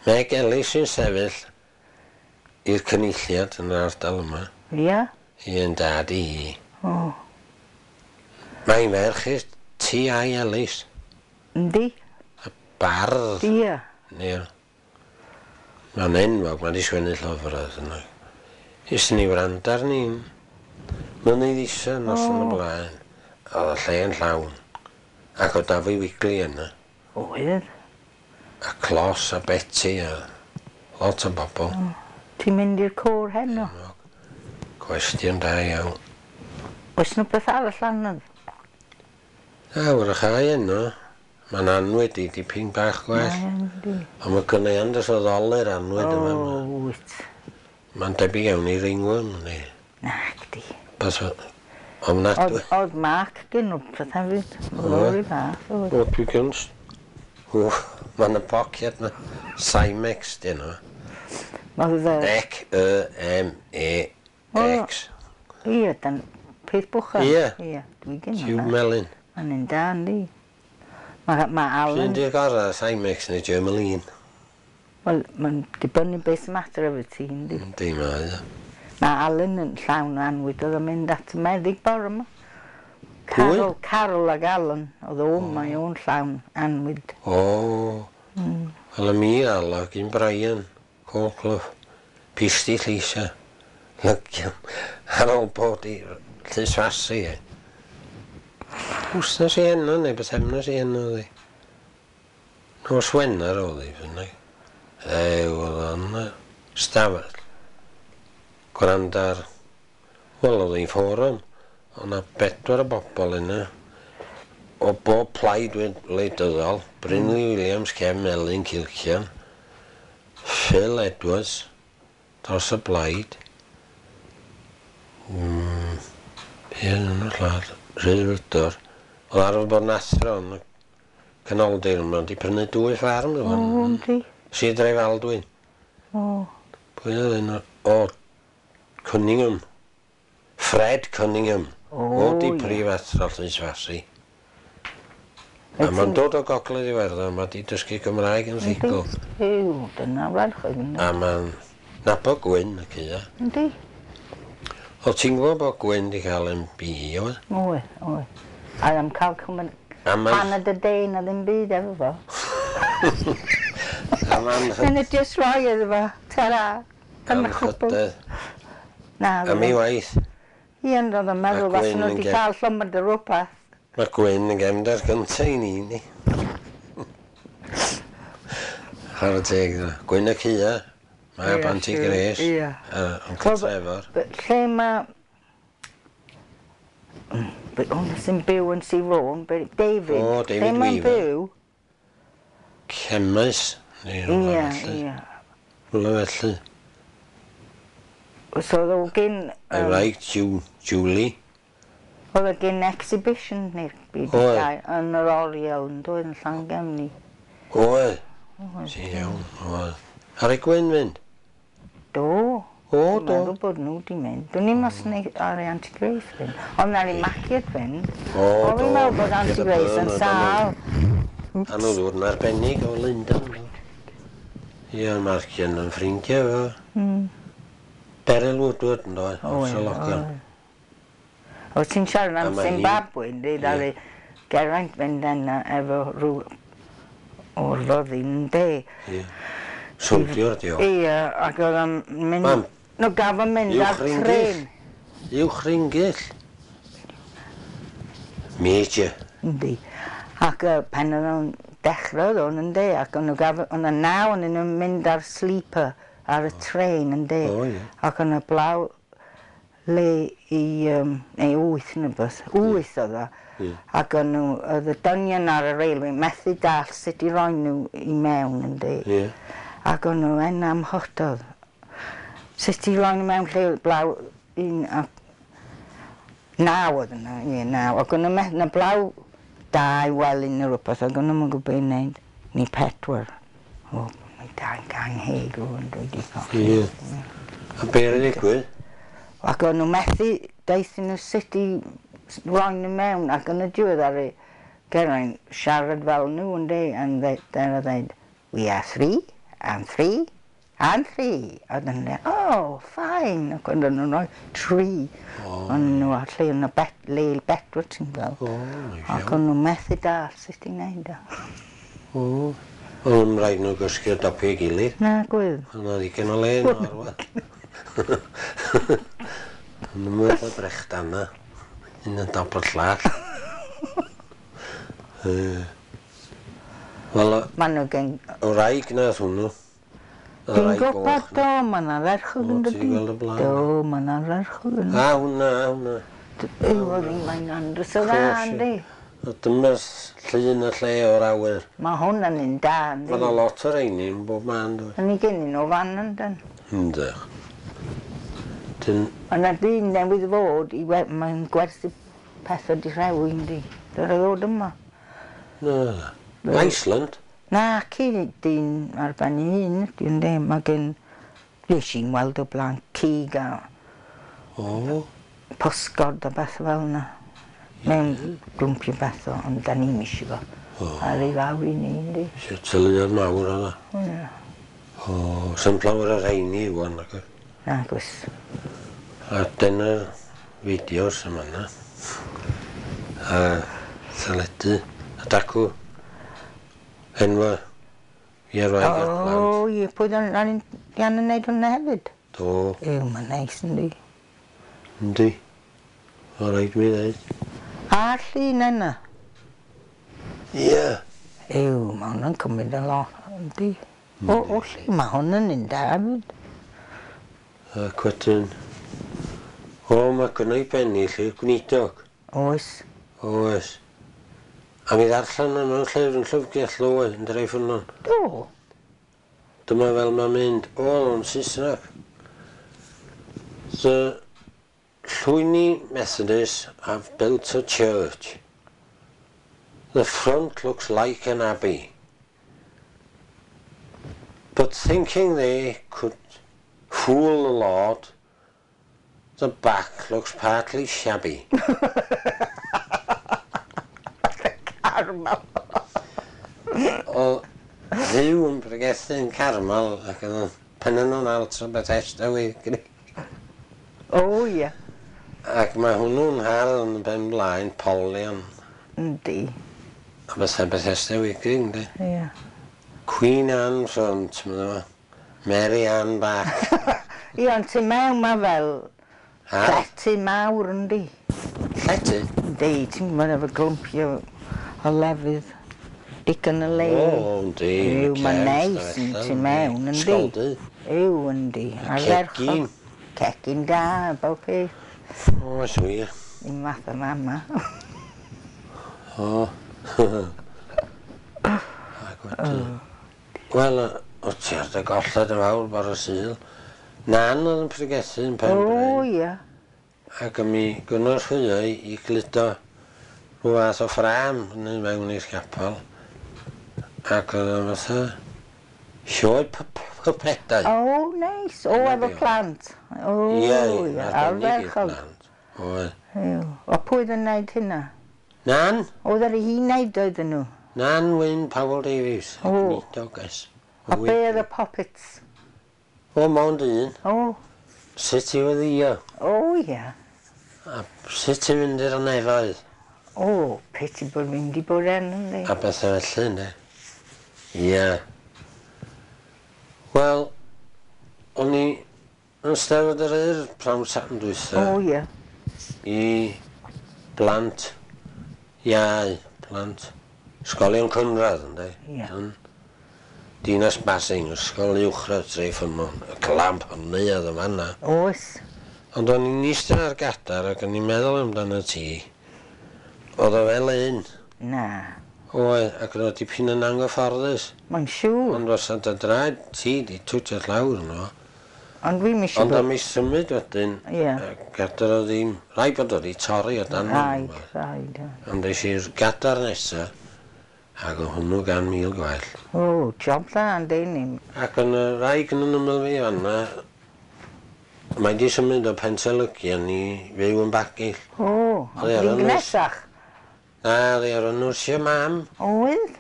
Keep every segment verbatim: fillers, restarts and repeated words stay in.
Meg Ellis sy'n sefyll i'r cynulliad yn yr ardal yma. Ia? Un dad i hi. O. Mae'n ferch i'r T I Ellis. Yndi. Y bardd. Ia. Ie. Mae'n enwog, mae'n di sgwennu llyfrau yna. Ys ni wrando arni'n mynydd isa noson o blaen. Oedd y lle yn llawn. Ac oedd Dafydd Wigley yna. Oedd. A Clos a Betty a lot o bobl. O. Ti'n mynd i'r côr heno? Cwestiwn da iawn. Oes 'na beth arall anodd? Na, wrach ai yno. Mae'n anwyd i dipyn bach gwell. Mae yndi. Ond mae gynna i andros o ddolur anwyd yma. O, wyt. Mae'n debyg iawn i ringworm, yndi. Nacdi. Bas o... Ofnadwy. Oedd, oedd Mark gen rhywbeth hefyd. Oedd o'r un fath, oedd. O, dwi gyn... O, mae'n y poced ma. Cimex, dyn nhw. Oedd y... C E M E X. Ie, dan peth bwchan. Ie. Ie, dwi gen Tiwb melyn. Mae'n un da, yndi. Mae ma Alan... Sy'n di'r gorau, Cimex neu Germolene? Wel, mae'n dibynnu beth sy'n mater efo ti, yndi. Yndi, mae o. Mae Alan yn llawn o anwyd, oedd o'n mynd at y meddyg bore yma. Carol, Carol ag Alan, oedd o, mae o'n llawn anwyd. O, wel y mi Al gyn Brian, Colclough, Pisti Llisa, Lygian, ar ôl bod i Llysfasi e. Wsnos i heno neu bythefnos i heno oedd hi. Nos Wener oedd hi, fyny. Ew, oedd o'n stafell. Gwrando ar, wel oedd hi'n fforwm. Oedd 'na bedwar o bobl yna. O bob plaid wleidyddol, Brynley Williams, Cefn Melyn, Cilcian, Phil Edwards, dros y blaid. Mm, be oedd yn y llall? Rhyddfrydwr. Oedd arfer bod yn athro yn y canoldir yma, wedi prynu dwy ffarm rŵan. O, yndi. Sir Drefaldwyn. O. Pwy oedd un o... O, Cunningham. Fred Cunningham. O, O, di ie. prif athro Llysfasi. A mae'n dod o Gogledd Iwerddon, mae di dysgu Gymraeg yn rhugl. Yw, dyna werch oedd yna. A mae'n nabod Gwyn y cua. Yndi. O, ti'n gwybod bod Gwyn di cael M B E, oedd? Oedd, oedd. A am cael cymryd A ma'n... paned y de na ddim byd efo fo. A ma'n... Dyna jyst rhoi iddo fo. Ta-ra. Dyna cwbl. Anrhydedd. Na, Am ei waith. Ie, ond oedd o'n meddwl Ma' fasen Gwyn nhw yn wedi ge- cael llymad o rwbath. Mae Gwyn yn gefndar gyntaf i ni, ni. Chwarae teg iddo. Gwyn y Cua. Mae Ie, Aunty siŵr, Grace. ie. A Uncle Wel, Trevor. Lle mae... Hwna sy'n byw yn Sir Fôn, David. O, David Lle mae'n Weaver. byw? Cemais. Neu Ie, rhywle felly. ie. Rhywle felly. So oedd o gyn... Ei yym, wraig, Ju- Julie. Oedd o gyn exhibition neu'r byd Oedd. gael yn yr oriel yn dod yn Llangefni. Oedd. Ti'n iawn, oedd. Ar ei Gwyn fynd? Do. O, Dwi'n do. meddwl bod nhw di mynd. Dwi'n ni'n mas neu ar ei Auntie Grace fynd. Ond ar ei Mackiad fynd. O, O, do. fi'n meddwl bod Auntie Gyda Grace yn Bernard sâl. A nhw ddod yn arbennig o Lundain. Ie, Marcian yn ffrindiau fo. Mm. Beryl Woodward yn dod, O, o'r ie, Sologan. oedd. O, ti'n siarad A am ma' hi- Zimbabwe, yndi? Ie. Ddaru Geraint fynd yna efo rhyw o'r fyddin, yndi? Ie. Soldier, di o. Ie, ac oedd o'n mynd... Mam. No, gaf o'n mynd ar Uwch ringyll. tren. Uwch ringyll. Major. Yndi. Ac uh, pan oedd o'n dechrau oedd o'n yndi, ac o'n nhw gaf... O'n y naw o'n nhw'n mynd ar sleeper ar y tren, yndi. O, ie. Ac o'n y blaw le i, um, neu wyth neu beth, wyth oedd o. Ie. Ac o'n nhw, oedd y dynion ar y railway methu dall sut i roi nhw i mewn, yndi. Ie. Ac o'n nhw yn amhododd. Sut i roi nhw mewn lle blaw un a naw oedd yna, ie, naw. Ac o'n nhw methu, na blaw dau welyn neu rhywbeth, ac o'n nhw'n gwybod beth i wneud. Ni pedwar. O, mae dau gang heg o'n dwi wedi colli. Ie. A be oedd digwydd? Ac o'n nhw methu, daethon nhw sut i roi nhw mewn, ac yn y diwedd ar y Geraint siarad fel nhw, yndi, and they, they're dweud, we are three, And three, and three. A dyn nhw'n dweud, oh, fine. Ac oedden nhw'n rhoi tri. O'n nhw a lle yn y bet, le bedwar ti'n gweld. O, neis Ac iawn. o'n nhw'n methu dall sut i wneud o. O. Oedd yn rhaid nhw gysgu o dop ei gilydd. Na, gwydd. Oedd yna ddigon o le yno arwa. Yn ymwneud â brechdan na. Un yn dop o'r llall. Yy. Wel, Maen nhw gen... y wraig nath hwnnw. Y Dwi'n wraig gwybod goch do, mae'n arferchog O, yn ti dydi. 'di gweld o blaen? Do, mae'n arferchog yn. A, hwnna, a hwnna. Yw, oedd hi'n mae'n andros o dda, Course, yndi. A dyma'r llun y lle o'r awyr. Mae hwn yn un da, yndi. Mae yna lot o'r rheini yn bob man, dwi. Yn ei gennyn nhw fan yndyn. Yndych. Dyn, Mae yna dyn newydd fod i we- mae'n gwerthu pethau di rhewi, yndi. Dyna ddod yma. Na. Iceland? Na, ci dyn ar ben ei hun, ydi, yndi. Mae gen... Nes i'n weld o blaen cig a O. pysgod a beth fel yna. Mewn glwmpio beth o, ond da ni'm isio fo. O. A rei fawr i ni, yndi. Isio tyluodd mawr oedd o. Ie. O, sy'n llawer o'r rheini wan ac Na, gwys. A dyna'r fideos yma yna. A teledu. A dacw. Enwa. I'r wraig a'r plant. O, ie, pwy dan ni'n yn neud hwnna hefyd? Do. Ew, mae'n neis, yndi. Yndi. O, rhaid mi ddeud. A'r llun yna. Ie. Ew, mae hwnna'n cymryd yn lot, yndi. O, o, lle, mae hwn yn un da hefyd. Ac wedyn... O, mae gynna i bennill i'r gwneudog. Oes. Oes. A mi ddarllen yma mewn llyfr yn llyfrgell ddoe yn Drefynon. Do. Dyma fel mae'n mynd. O, o'n Saesneg. The Llwyni Methodists have built a church. The front looks like an abbey. But thinking they could fool the Lord, the back looks partly shabby. Carmel. Oedd Dduw yn pregethu yn Carmel ac oedd o'n pennyn nhw'n alt o Bethesda wi. O, ie. Ac mae hwnnw'n hardd yn y pen blaen, polion. Yndi. A bethau Bethesda Wyddgrug, yndi? Ie. Queen Anne front, mae'n fo. Mary Ann back. Ie, ond ti mewn ma fel Ha? llety mawr, yndi. Llety? Yndi, ti'n gwybod efo glwmpio o lefydd. Digon o le. O, yndi. Yw, mae'n neis yn tu mewn, yndi. Sgoldy. Yw, yndi. Ardderchog. Cegin. Cegin da, bob peth. O, oes wir. Un math o mama. O. Ac wedyn... Wel, o ti ar dy golled yn fawr bore Sul. Nan oedd yn pregethu yn Pen O, Bryn. ie. Ac mi gynorthwyo i i gludo rhyw fath o ffrâm yn mewn i'r capel. Ac oedd o'n fatha sioe pypedau. O, neis. O, Dyna efo be' oedd. plant. O, Ie, ie. arbennig i'r Ardderchog. plant. Oedd. Yw. O, pwy oedd yn neud hynna? Nan, Oedd ar ei hun neud oedden nhw? Nan Wyn Powell Davies. O. Gnedoges. A be oedd y puppets? O, mond un. O, Sut i weddïo? o, ie. A sut i fynd i'r nefoedd? O, peti bod mynd i bod yn, yndi. A bethau felly, ynddi? Ie. Wel, o'n i yn Steddfod yr Urdd prawn Sadwrn dwytha O, ie. i blant iau, plant ysgolion cynradd, ynddi? Ie. Yn Dinas Basing, ysgol uwchradd Treffynnon, y clamp yn neuadd yn fanna. Oes. Ond o'n i'n eistedd ar gadar ac o'n i'n meddwl amdano ti. Oedd o fel un. Na. Oedd, ac oedd o dipyn yn anghyfforddus. Mae'n siŵr. Ond fysa dy draed ti di twtio llawr yno. Ond dwi'm isio Ond bod... am ei symud wedyn, Ie. y gadar o ddim... Rhaid bod o di torri o dan. Rhaid, rhaid. ie. Ond es i'r gadar nesa, ac o hwnnw gan mil gwell. O, job dda, yndi ni. Ac yn y raig yn ymyl fi fanna, mae di symud o Pentelygian i fyw yn Bagill. O, Oedd e ar ond y fi'n nos. gnesach. Na, oedd hi ar y nyrsio mam, Oedd?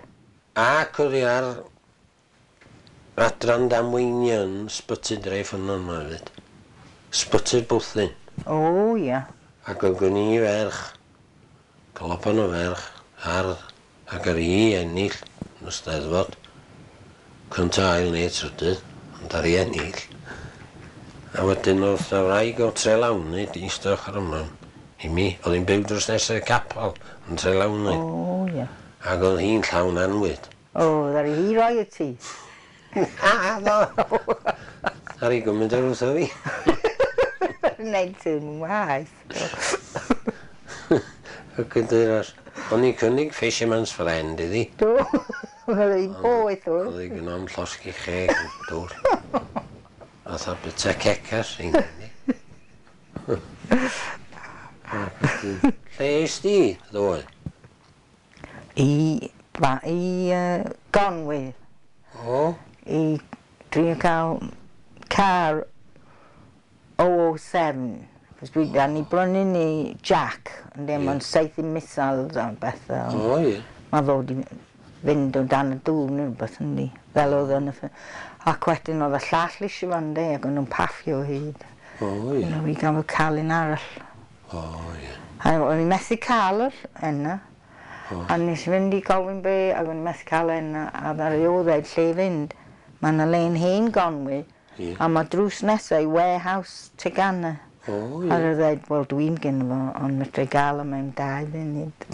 ac oedd hi ar adran damweiniau yn Sbyty Dreffynnon yma hefyd. Sbyty'r Bwthyn. O, ia. Ac oedd gen i ferch, clopan o ferch, hardd, ac ar i ennill yn y Steddfod. Cynta, ail neu trydydd, ond ar i ennill. A wedyn oedd y wraig o Trelawny, di eistedd ochr yma i mi, oedd hi'n byw dros nesaf y capel yn Trelawny. O, ia. Ac oedd hi'n llawn anwyd. O, ddaru hi roi y ti. A, do! Ar i gymryd ar wrtho fi. Wneud ti'n waith. Ac yn dweud, o'n i'n cynnig Fisherman's Friend iddi. Do, oedd hi'n boeth oedd. Oedd hi gyno am llosgi cheg yn dŵr. Fatha bita cecas i'n gynnu. Lle es di, ddoe? I, ba, i uh, Gonwy. O? I drio cael car oh oh seven. Cos dwi, da ni brynu ni Jack, ond yeah. Mae'n saethu missiles a bethau. O, ie. Mae fod i fynd o dan y dŵr neu rhywbeth yndi. Fel oedd yn y ffilm. Ac wedyn oedd y llall eisiau fan de, ac o'n nhw'n paffio o hyd. O, ie. You know, i gael cael un arall. O, ie. A o'n i'n methu cael yr enna. O. A nes i fynd i gofyn be, ac o'n i'n methu cael enna, a ddaru o ddeud lle i fynd. Mae yna le'n hen Gonwy, Ie. a mae drws nesaf i warehouse Tegana. O, A ie. oedd dweud, wel dwi'n gynno fo, ond medru gael o mewn dau funud.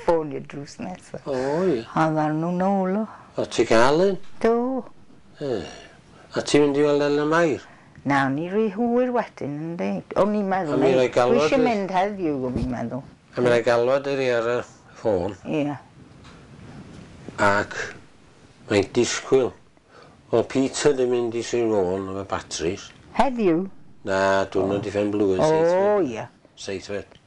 Ffonio drws nesaf. O, ie. A ddaru nhw nôl o. O, ti gael un? Do. E. A ti'n mynd i weld Elen Mair? Na, o'n i rhy hwyr wedyn, yndi. O'n i'n meddwl, A mi roi dwi galwad eisiau i- mynd heddiw, o'n i'n meddwl. A mi rai galwad iddi ar y ffôn. Ie. Ac mae'n disgwyl. O, Peter di mynd i Sir Fôn efo batteries. Heddiw? Na, diwrnod i ffen blwydd, O, seithfed. ie. Seithfed.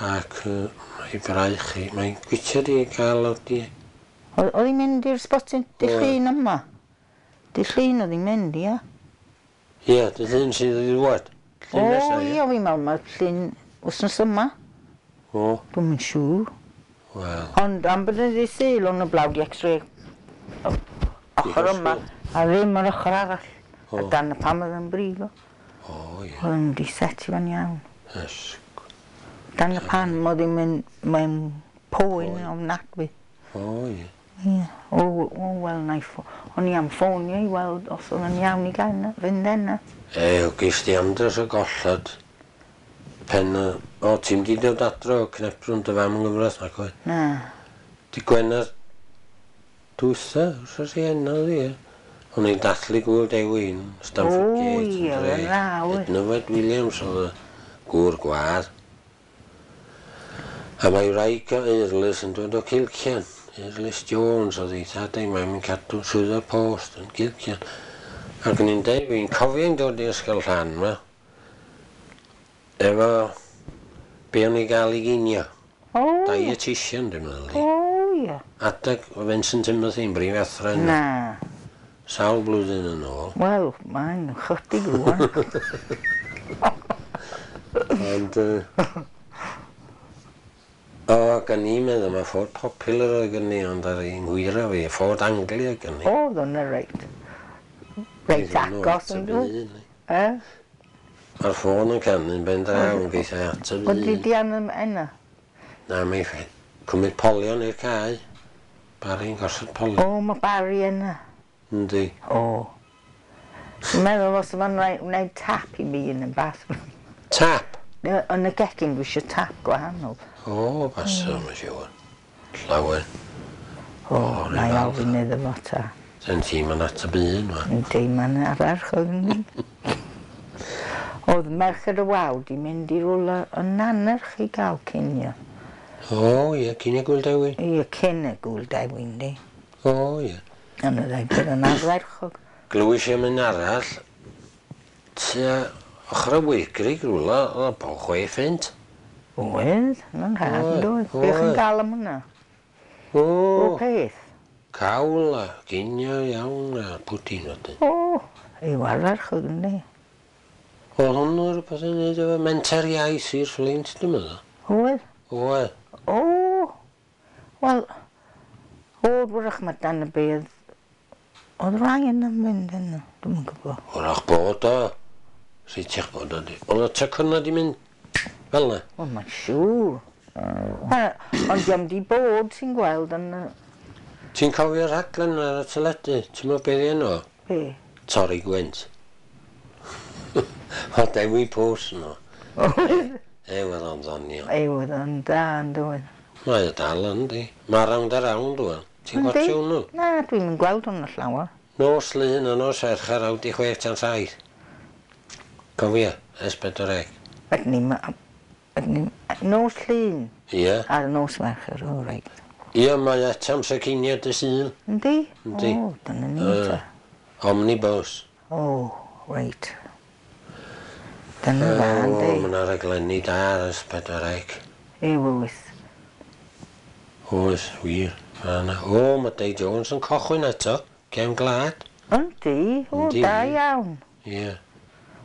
Ac uh, mae braich hi, mae'n gwitio di gael o di. O- Oedd hi'n mynd i'r spotyn dy Oedd. llun yma? Dy llun oedd hi'n mynd, ie? Ie, dy llun sydd wedi dŵad. O, Llun nesa, ie, fi'n meddwl mae'r llun wythnos yma. O, Dwi'm yn siŵr. wel. Ond am bod yn ddydd Sul, o'n y blawd i x-ray o- ochr yma, a ddim yr ochr arall. O. A dan y pam oedd yn brifo. O, ie. Oedd yn di setio fan iawn. Ysg. Dan y pan oedd hi'n mynd, mae'n poen Poen. ofnadwy. O, ie. Ie. O, o, wel, na i ffo... O'n i am ffonio i weld os oedd yn iawn i gael na, fynd yna. E, o, gys di andros o gollad. Pen y... O, ti'n di dod adro o cnebrwn dy fam yn gyfraith, nac oedd? Na. Di Gwener dwytha, wrth i enw di, ie. O'n i'n dathlu gŵyl Dewi yn Stamford O, Gate. ie, yn dre. yn dda, oedd. Ednyfed Williams oedd y gŵr gwadd. A mae wraig o Eirlys yn dod o Cilcian. Eirlys Jones oedd ei thad ei mam yn cadw swyddfa post yn Cilcian. Ac o'n i'n deud, fi'n cofio'n dod i ysgol llan yma. Efo be o'n i gael i ginio. O, ie. Dietitian, dwi'n meddwl. di. O, ie. Adeg o Vincent Timothy yn brif athro yna. Na. Sawl blwyddyn yn ôl. Wel, mae'n chydig rwan. Ond... Uh, o, gan i'n meddwl, mae Ford Popular oedd gen i, ond ar un ngwyra fi, Ford Anglia gen i. Oedd o'n reit. Reit agos yn dod. dwi. E? Mae'r ffôn yn canu'n ben draw yn geithio ateb Oedd di un. di am yna? Na, mae'n ffain. Cymryd polion i'r cae. Barry'n gosod polion. O, mae Barry yna. Yndi. O. Dwi'n meddwl os yma'n rhaid wneud tap i mi yn y bathroom. Tap? Yy, Yn y gegin dwi eisiau tap gwahanol. O, basa, mae'n siŵr. Llawer. O, O, na i rhyw ofyn iddo fo ta. Sen ti'n ma'n ateb un, ma. Yndi, mae'n arferchog yndi. Oedd Merched y Wawr di mynd i rwla yn Nannerch i gael cinio. O, ie, cyn i gwyl Dewi. Ie, cyn y gwyl Dewi, yndi. O, ie. Ond oedd ei bod yn arferchog. Glywys i am un arall, tua ochr y Wygrug rwla, oedd o chwe ffint. Oedd, yn rhad, Oedd, yn doedd. Be chi'n oedd. gael am hwnna? O, O, peth. cawl a ginio iawn a pwdin wedyn. O, yw arferchog, yndi. Oedd hwnnw rhywbeth yn neud efo menter iaith i'r Fflint, dwi'n meddwl. Oedd. Oedd. O, wel, o, wrach mae dan y bedd Oedd rai yn mynd yna, dwi'm yn gwybod. Wrach bod o. Rhaid bod o di. Oedd y tecynna di mynd fel na? Wel, mae'n siŵr. Ond diom di bod ti'n gweld yn... Ti'n cofio'r rhaglen ar y teledu? Ti'n meddwl beth i enw? Be? Torri Gwynt. O Dewi Pws yno. Oedd? E, oedd o'n ddoniol. E, oedd o'n da, yn dwy'n. Mae o dal yn di. Mae Rownd a Rownd ŵan. Ti'n gwatio hwnnw? Na, dwi'm yn gweld hwnnw llawer. Nos Lun a nos Fercher awr di chwech tan saith. Cofia, S pedwar C. Ydyn ni'n... Ydyn ni'n... Nos Llun? Ie. Ar nos Fercher, o reit. Ie, mae eto amser cinio dy Sul. Yndi? Yndi. O, dyna ni ta. Omnibus. O, reit. Dyna dda, yndi. O, mae yna raglenni da ar S pedwar C. Ie, wyth. Oes, wir. O, mae Dei Jones yn cochwyn eto, cefn gwlad. Yndi, o, da iawn. Ie.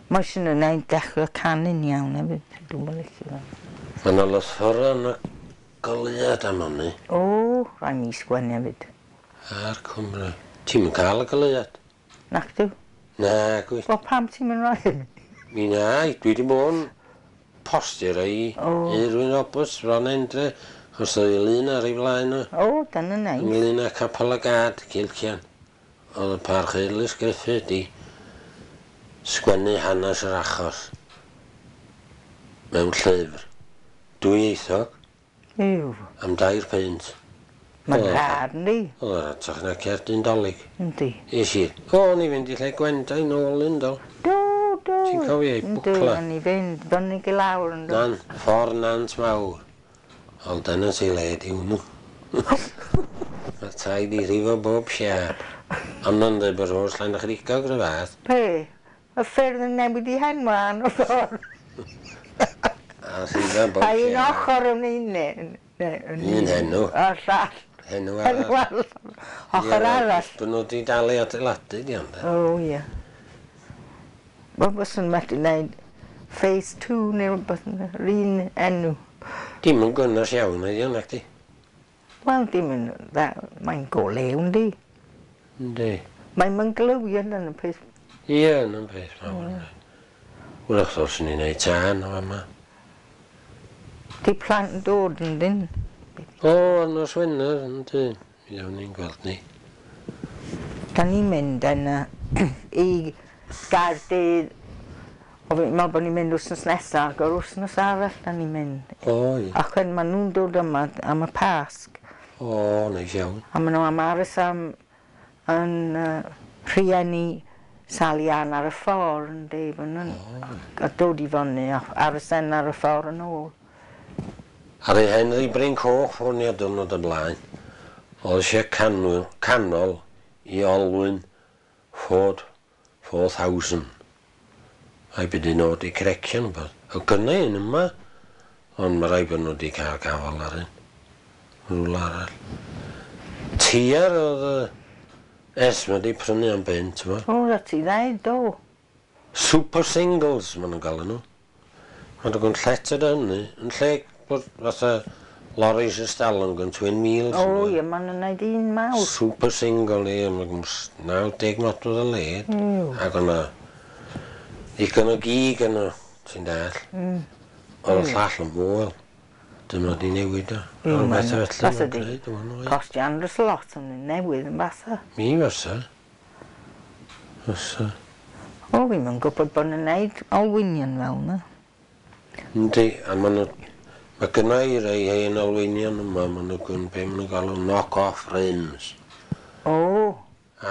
Mae sy'n yn ei dechrau canu'n iawn hefyd, dwi'n mynd licio fe. Mae yna lythyra yn y goleuad am hynny. O, rhaid mi sgwennu hefyd. A'r Cymru. Ti'm yn cael y goleuad? Nac dw. Na, gwy. Wel, pam ti'n mynd rhoi? Mi na, dwi wedi bod yn postio rei i Rwyn Roberts, Ron Endre. Os oedd ei lun ar ei flaen o. O, dyna neis. Ynglyn â Capel y Gad, Cilcian. Oedd y Parchus Griffith di sgwennu hanes yr achos mewn llyfr. Dwyieithog. Ew. Am dair peint. Mae'n rhad, yndi? Oedd yr atach na cerdyn Dolig. Yndi. Es i. O, o'n i fynd i lle Gwenda i nôl un do. Do, do. Ti'n cofio ei bwcla? Yndi, o'n i fynd, fyny i lawr yn do. Nan, ffordd Nant Mawr. Ond dyna ti le di hwnnw. Mae tai di rhifo bob siâp. Ond yn dweud bod rhos Llanerchigog rhyw fath. Be? Y ffyrdd yn newid i henwa yn y ffordd. A rhifo bob A un siâp. ochr yn un. Un henw. A llall. Henw arall. Henw arall. Ochr arall. Bod nhw wedi dal i adeiladu di ond. O, ie. Wel, byswn methu wneud phase two neu rhywbeth, yr un enw. Dim yn gynnes iawn ydi o'n acdi? Wel, dim yn... Mae'n golew, yndi? Yndi. Mae'n mynd glywio yn y peth. Ie, yn y peth mawr. Wrach ddylswn ni'n neud tân o yma. Di plant yn dod yn dyn? O, ar nos Wener, yndi. Mi ddawn ni'n gweld ni. Da ni'n mynd yna i Gaerdydd. O, fi'n meddwl bod ni'n mynd wythnos nesaf, ac o'r wythnos arall da ni'n mynd. O, ie. Ac wedyn maen nhw'n dod yma am y Pasg. O, neis iawn. A maen nhw am aros am yn uh, rhieni Sally Ann ar y ffordd, yn dweud, maen nhw'n a dod i fyny a aros en ar y ffordd yn ôl. Ar ei Henry Bryn Coch ffonio diwrnod y blaen, oedd eisiau canol, canol i olwyn Ford four thousand. A'i byd i nod i crecio'n bod. O gynna un yma, ond mae rai bod nhw wedi cael gafal ar un. Rhywle arall. Tiar oedd y Esma wedi prynu am bunt, yma. O, na ti ddeud, do. Super singles, maen nhw'n galw nhw. Maen nhw'n lletad o hynny, yn lle bod fatha lorries y stalwm gan twin wheels. O, ie, maen nhw'n neud un mawr. Super single, ie, maen nhw'n naw deg modfedd o led. Ac o'na ddigon o gig yno, ti'n dall. Mm. Oedd y llall yn foel. Dyma di newid o. Mm, Ond beth felly Fasa mae'n di gwneud o'n oed. Costio andros lot yn newydd yn basa. Mi fysa. Fysa. O, fi'm yn gwybod bod nhw'n neud olwynion fel yna. Yndi, a maen nhw... Mae gynna i rei hen olwynion yma, maen nhw gyn be maen nhw'n galw knock-off rims. O.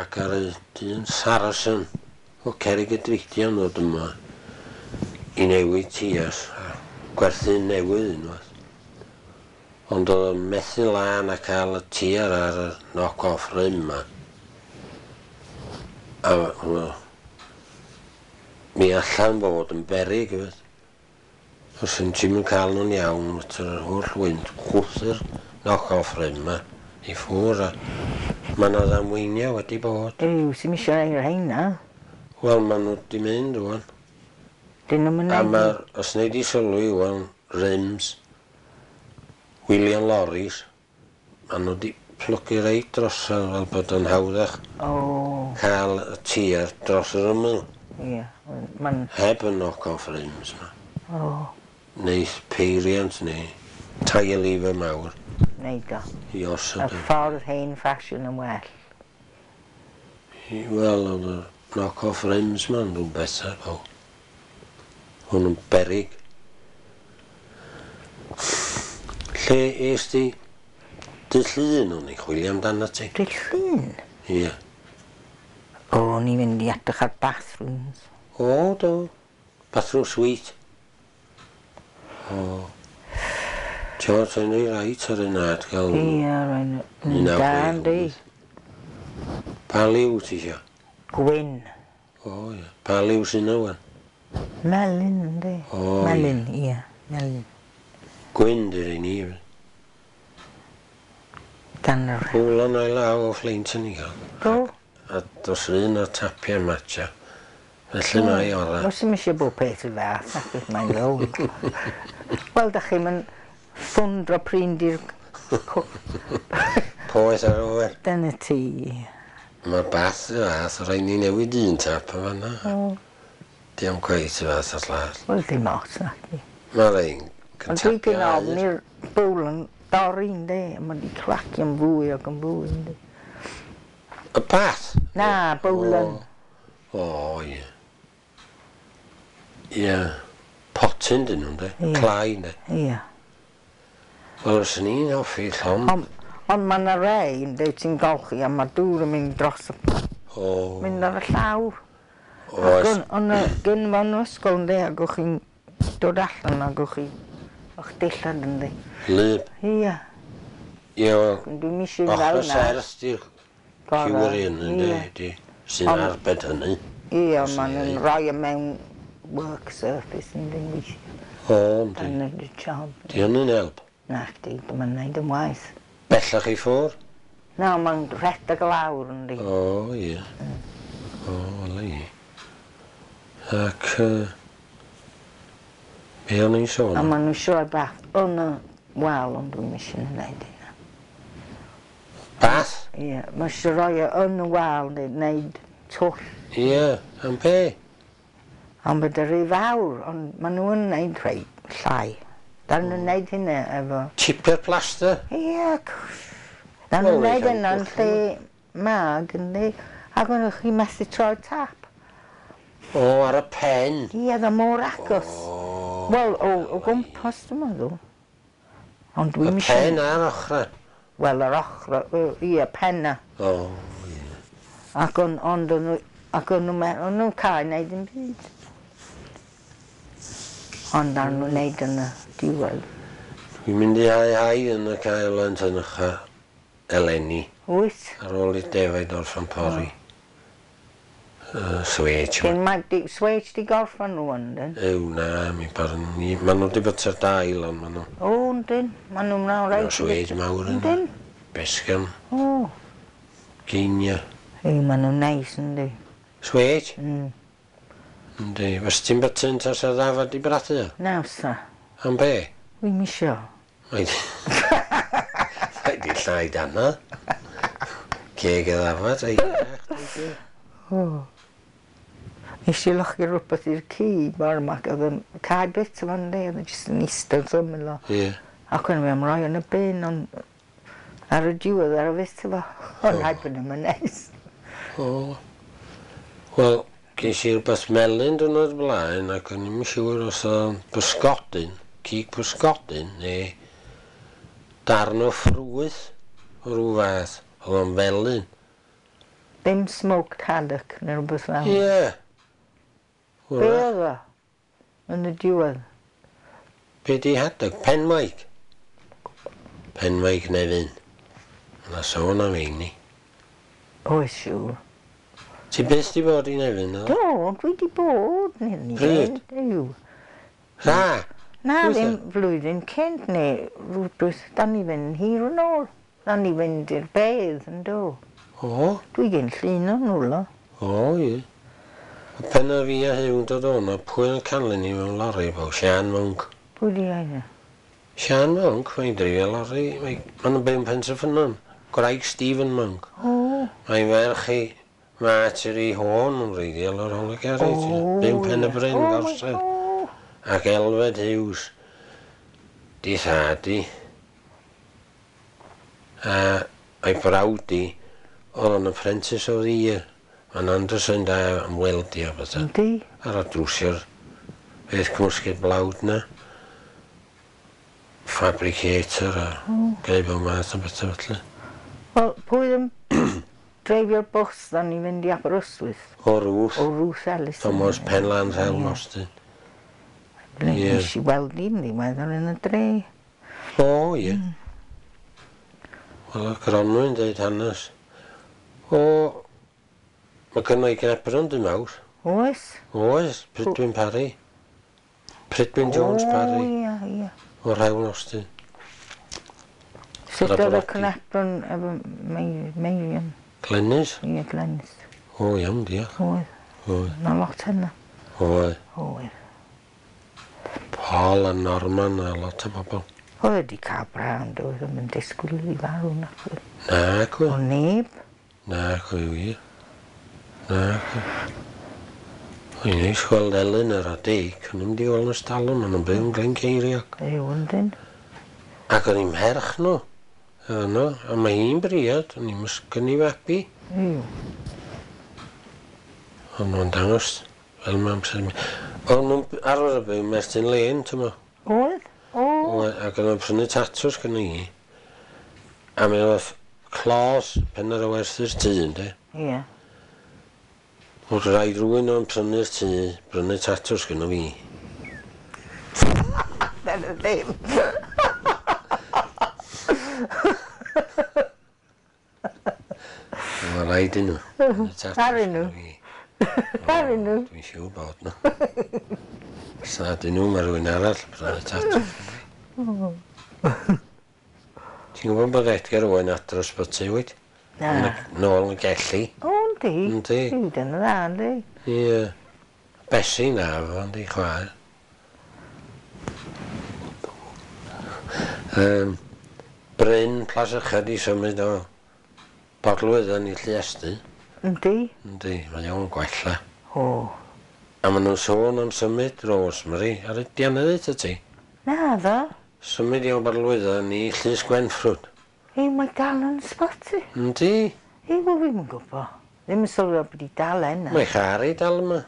Ac ar y dyn Saracen o Cerrig y Drudion ddod yma i newid tias a gwerthu newydd unwaith. Ond oedd o'n methu lan a cael y tiar ar y knock-off rim yma. A hwnnw, mi allan bod yn beryg hefyd. Os yn ti'm yn cael nhw'n iawn, yr holl wynt chwthu'r knock-off rim yma i ffwrdd a mae yna ddamweiniau wedi bod. Ew, sy'm isio ei rheina. Wel, maen nhw wedi mynd ŵan. Dyn nhw'm yn A neud. mae'r, os wnei di sylwi ŵan, rims, William Lorries, maen nhw wedi plygu reit drosodd fel bod yn hawddach. O. Cael y tir dros yr ymyl. Ie. Ma'n... Heb y knock-off rims ma. O. Neith peiriant neu tyre lever mawr. Neud o. I osod. Y ffordd hen ffasiwn yn well. Wel, oedd y knock-off rims ma'n rhywbeth ar o. Hwn yn berig. Lle es di dydd Llun o'n i chwilio amdano ti? Dydd Llun? Ie. O, o'n i'n mynd i edrych ar bathrooms. O, do. Bathroom suite. O. Ti'n o'n i reit ar y nad gael... Ie, rhaid. Da, yndi. Pa liw ti isio? Gwyn. O, ie. Pa liw sy'n yna wan? Melyn, yndi. O, ie. Melyn, ie. Melyn. Gwyn di'r un i. Dan yr... Hwlon o'i law o Fflint yn i gael. Do. A dos un o'r tapiau matcha. Felly mae ora. Os dim eisiau bod peth y fath, ac beth mae'n ddod. Wel, da chi'n mynd ffwndro pryn di'r... Poeth ar oer. Dyna ti. Mae'r bath y fath, rhaid ni newid un tap o fanna. O. Diolch cweit y fath o'r llall. Wel, dim ots, nac di. Mae'r ein Ond dwi gyn ofn i'r bwl yn dorri, yndi. A mae di cracio'n fwy ac yn fwy, yndi. Y bath? Na, bowlen. O, ie. Ie. Potyn dyn nhw'n de. Clai, yndi. Ie. Wel, os ni'n hoffi llond. Ond on mae yna rei, yndi, ti'n golchi a mae dŵr yn mynd dros y... O. Mynd ar y llawr. Oes. Ond gyn fo'n ysgol, yndi, ac o'ch chi'n dod allan ac o'ch chi... o'ch dillad, yndi. Lyb. Ie. Ie, wel... Dwi'n eisiau fel Ochr yna. serth di'r ciwr un, yndi, sy'n arbed hynny. Ie, ond maen nhw'n rhoi e mewn work surface, yndi, weithio. O, yndi. Dyna dy job. Di hynny'n help? Na chdi, dyma'n neud yn waith. Bellach i ffwr? Na, mae'n rhedeg lawr, yndi. O, ie. O, wela i. Ac, uh, be o'n i'n sôn? A maen nhw'n sioe bath yn y wal, ond dwi'n eisiau wneud hynna. Bath? Ie, mae eisiau rhoi e yn y wal, neu wneud twll. Ie, am be? Ond bod y rhy fawr, ond maen nhw'n wneud rhai llai. Da nhw'n wneud hynna efo... Chipper plaster? Ie, da nhw'n wneud hynna yn lle mag, yndi. Ac o'n chi methu troi tap. O, ar y pen? Ie, dda mor agos. Wel, o, o gwmpas, dwi'n meddwl. Ond dwi'n Y pen a'r ochr? Wel, yr ochr, ie, penna. O, ie. Ac o'n, ond o'n nhw, ac o'n nhw, o'n nhw'n cael wneud yn byd. Ond ar nhw'n wneud yn y diwedd. Dwi'n mynd i hau hau yn y cael yn Tynycha eleni. Wyt? Ar ôl i defaid orffan pori. Uh, Swêj. Gen mae di, swêj di gorffan rŵan, dyn? Ew, na, mi barn ni. Maen nhw wedi byta'r dail, ond maen nhw... O, yndyn. Maen nhw'n mlaen reit. Maen swêj mawr yna. Yndyn? Besgan. O. Geinia. Ew, maen nhw'n neis, yndi. Swêj? Mm. Yndi. Fes ti'n byta yn tas y ddafad i brathu? Na, sa. Am be? Wi'm isio. Mae di... Mae di llai dana. Ceg y ddafad, ei. O. Nes i lochi rhywbeth i'r ci bore 'ma, ac oedd yn cael bit o fan de, oedd yn jyst yn eistedd wrth ymyl o. Ie. Ac o'n i'n rhoi yn y bin, ond ar y diwedd ar y bit o fo. Ond rhaid bod yn neis. O. Wel, ges i rhywbeth melyn diwrnod blaen, ac o'n i'm yn siŵr os oedd bysgodyn, cig bysgodyn, neu darn o ffrwyth o rhyw fath. Oedd o'n felyn. Ddim smoked haddock neu rhywbeth fel. Ie. Be oedd o? Yn y diwedd. Be di haddock? Penmaig. Penmaig Nefyn. Yna sôn am ein ni. Oes siŵr. Ti byth di bod i Nefyn, o? Do, dwi di bod. Pryd? Yw. Ra? Na, ddim flwyddyn cynt neu rhywbeth. Da ni fynd hir yn ôl. Da ni fynd i'r bedd, yn do. O? Dwi gen llun o'n nhw, lo. O, ie. A pen o fi a Huw yn dod o'na, pwy yn canlyn ni mewn lorri, bo? Sian Monk. Pwy di hynna? Sian Monk, mae'n dreifio lorri. Mae'n byw yn Pentreffynnon. Gwraig Stephen Monk. O. Mae'n ferch i Marjorie Horn yn wreiddiol o'r Hol y Garage. O, Byw Pen y ie. Bryn, O, my Gorsedd. O. Ac Elfed Hughes. Di thad i. A a'i brawd i, oedd o'n apprentice of the year. Mae'n Anderson da am weldio bethau. Yndi. Ar y drwsio'r beth cymysgedd blawd na. Fabricator a oh. Bob math o bethau felly. Wel, pwy yn dreifio'r bws ddan i fynd i Aberystwyth? O Ruth. O Ruth Ellis. Thomas Penland Hel Mostyn. Ie. Ie. Nes i weld hi'n ddiweddar yn y dre. O, ie. Wel, y Gronwy'n dweud hanes. O, mae gynno i Gnebron dyn mawr. Oes? Oes, Prydwyn Parry. Prydwyn Jones O, Parry. ie, ie. O'r Hewl Austin. Sut Ar y oedd y brodi. Cnebron efo Mei- Meirion? Glenys? Ie, Glenys. O, iawn, diolch. Oedd. Oedd. Na lot hynna. Oedd. Oedd. Paul a Norman a lot o bobl. Oedd wedi cael brawn, doedd ddim yn disgwyl iddi farw na. Na, O cwy. neb. Na, cwy wir. Na, cwy. O'n neis gweld Ellen ar a Dick, o'n i'n di weld yn stalwm, o'n nhw'n byw yn Glyn Ceiriog. Yw, yndyn. Ac o'n i'n merch nhw. Yno, a mae hi'n briod, o'n i'n mysgyn i fabi. Yw. O'n nhw'n dangos fel mae amser. O'n nhw'n arfer y byw Mertyn Lane, ti'n mo. Oedd? O. Oedd, ac o'n nhw'n prynu tatws gyda hi. A mi oedd clos pen ar y werthu'r tŷ, ynddi. Ie. Oedd rhaid rhywun o'n prynu'r tŷ, brynu tatws gyda fi. Dyna ddim. Mae rhaid i nhw. Prynu tatws Arnyn nhw. gynno fi. Arnyn nhw. Dwi'n siŵr bod nhw. Os na dyn nhw, mae rhywun arall prynu tatws. Ti'n gwybod bod Edgar Owen adre o'r sbyty, wyt? Na. Yn y- Nôl yn Gelli. O, yndi. Yndi. Yw, dyna dda, yndi. Ie. Bessie na, fo, yndi, chwaer. Um, Bryn Plas Uchaf di symud o Bodlwydden i Lluestyn. Yndi. Yndi, mae o'n gwella. O. A maen nhw'n sôn am symud Rosemary ar y dianydd y ti. Na, ddo. Symud i o Bodlwydden i Llys Gwenffrwd. Ei, mae dal yn ysbyty. Yndi, Ei, wel, fi'm yn gwybod. Ddim yn sylwi bod i dal yna. mae char i dal yma.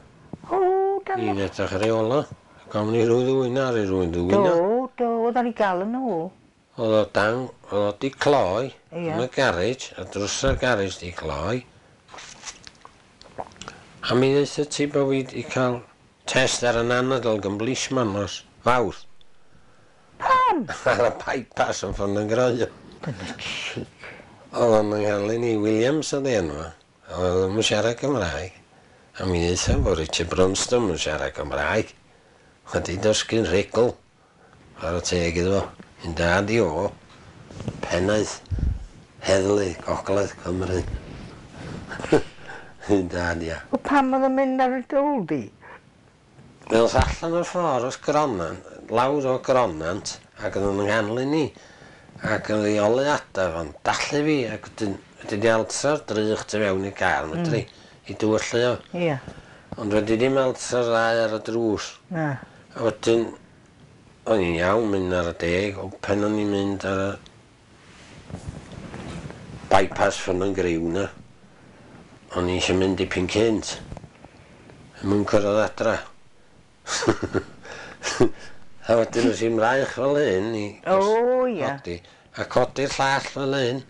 O, dal I'n edrych ar ei ola. Gofyn i rhyw ddwyna ar ei rhywun ddwyna. Do, do, oedd ar ei gael yn ôl. Oedd o dan, oedd o di cloi Ie. yn y garej, a drws y garej di cloi. A mi ddeutha ti bod fi di cael test ar yn anadl gan blisman nos fawrth. Pam? Ar y bypass yn ffôn yn groio. Dyna chic. Oedd o'n nghalyn i Williams oedd ei enw. Oedd o'n siarad Cymraeg. A mi ddeutha bod Richard Brunston yn siarad Cymraeg. Wedi dysgu'n rhugl. Ar y teg iddo fo. Un dad i o. Pennaeth Heddlu Gogledd Cymru. Un dad ia. O, pam oedd yn mynd ar y dôl di? Mi oedd allan o'r ffordd wrth Gronant, lawr o Gronant, ac oedd o'n nghanlyn ni. Ac oedd ei oleuadau fo'n dallu fi, ac wedyn wedi di altra'r drych tu fewn i car, mm. medru, i dywyllu o. Ie. Ond wedi dim altra'r ddau ar y drws. Na. A wedyn, o'n i'n iawn mynd ar y deg, o pen o'n i'n mynd ar y bypass ffynnon griw na. O'n i eisiau mynd dipyn cynt. Yn cyrraedd adra. A wedyn oes i'n mraich fel hyn i... O, ie. Codi, a codi'r llall fel hyn.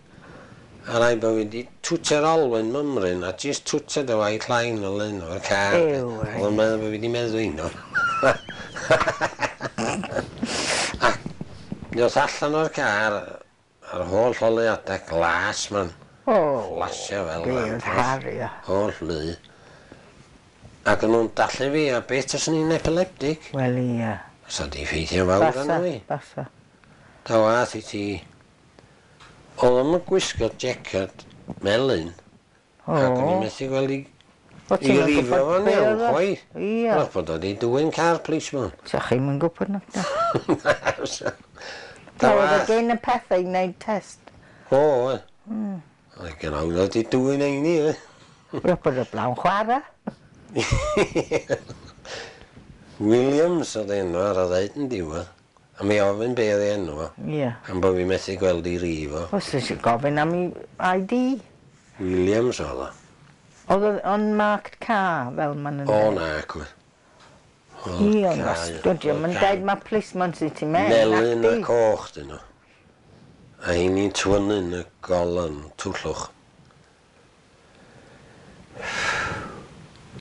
A rai bod fi wedi twtio'r olwyn mymryn a jyst twtio dy white line fel hyn o'r car. Ew, reit. Oedd o'n meddwl bod fi wedi meddwl un o. A mi oedd allan o'r car a'r holl oleuadau glas ma'n O. flasio fel Be lampos. oedd Harry, ia. Holl lu. Ac o'n nhw'n dallu fi, a beth os o'n i'n epileptic? Wel, ie. Sa di ffeithio fawr Basa, arno fi. basa. Ta wath i ti. Oedd o'n gwisgo jaced melyn, O. ac o'n i'n methu gweld i, O, i ti'm yn rifo gwbod fo'n be iawn, oedd o? chwaith. Ie. Wrach bod o di dwyn car policeman. Sa chi'm yn gwybod na. Ta Na, oedd o wath. gen y pethau i wneud test. O, oedd. Mm. Oedd gen i wedi dwyn ein i, e. Rwy'n bod y blawn chwarae. Williams oedd enw ar y ddeud yn diwedd. A mi ofyn be oedd ei enw fo. Ie. Am bod fi methu gweld i rif o. Os eisiau gofyn am ei I D. Williams oedd o. Oedd o unmarked car fel ma'n yn O na, cwy. Ie, ond os dydy o'm yn deud mae policeman sydd ti mewn. Melyn a nacdi? coch dyn nhw. A heini'n twynnu'n y golan twllwch.